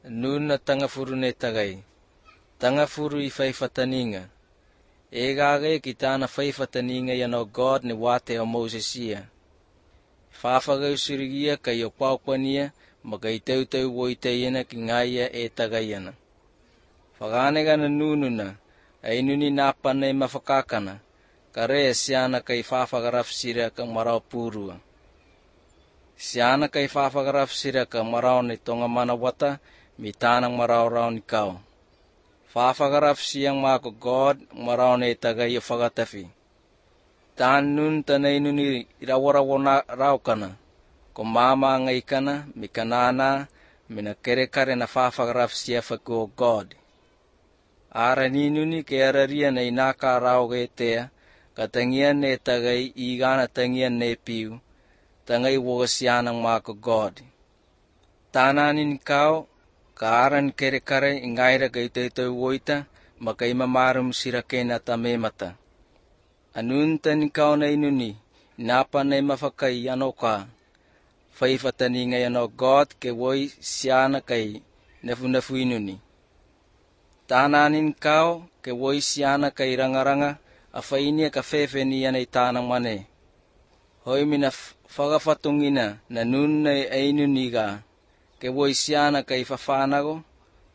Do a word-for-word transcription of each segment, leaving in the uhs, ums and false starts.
Nun na tangafuru ne tagai. Tangafuru i faifataninga. E gage ki tana faifataninga ia no God ni wate o Moses ia. Whawhagau sirigia kai o kwaukwania ma kai teuteu woi te iana ki ngaia e tagai ana. Whaganega na nununa, ainuni nā pane mawhakakana, ka rea siana kai whawhagarafsira ka marau pūrua. Siana kai whawhagarafsira ka marau ni tonga mana wata, mi tāna marau rau ni kau. Whawhagarafsia mā ko God marau ne tagai o whakatawhi. Tān nun tanei nuni rawarawo na raukana, ko māmā ngai kana, mi kanānā, mi na kerekare na whawhagarafsia whaku o God. Ara ni nuni ke araria nei nā ka rau ge tea, ka tangia ne tagai i gana tangia ne piu, tangai woga siana mā ko God. Tānani ni kau, ka aran kerekare i ngaira kei te tau woita, ma kei mamarum sira kena ta memata. Anun tani kau nei nuni, napa nei mawhakai ano ka, whaiwhatani ngai ano God ke woi siana kai nefu nefu inuni. Tānanin kau ke woi siana kai rangaranga, a whainia ka whewheni ana i tāna mane. Hoi mina whakawhatungina na nun nei ainuni ga, ke woi siana kai whawhanago,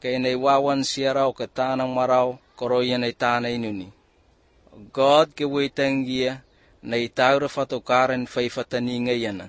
ke nei wawan siarau ka tāna marau koroi ana i tāna inuni. God ke woi tangia, nei taura whatokaren whaiwhatani ngai ana.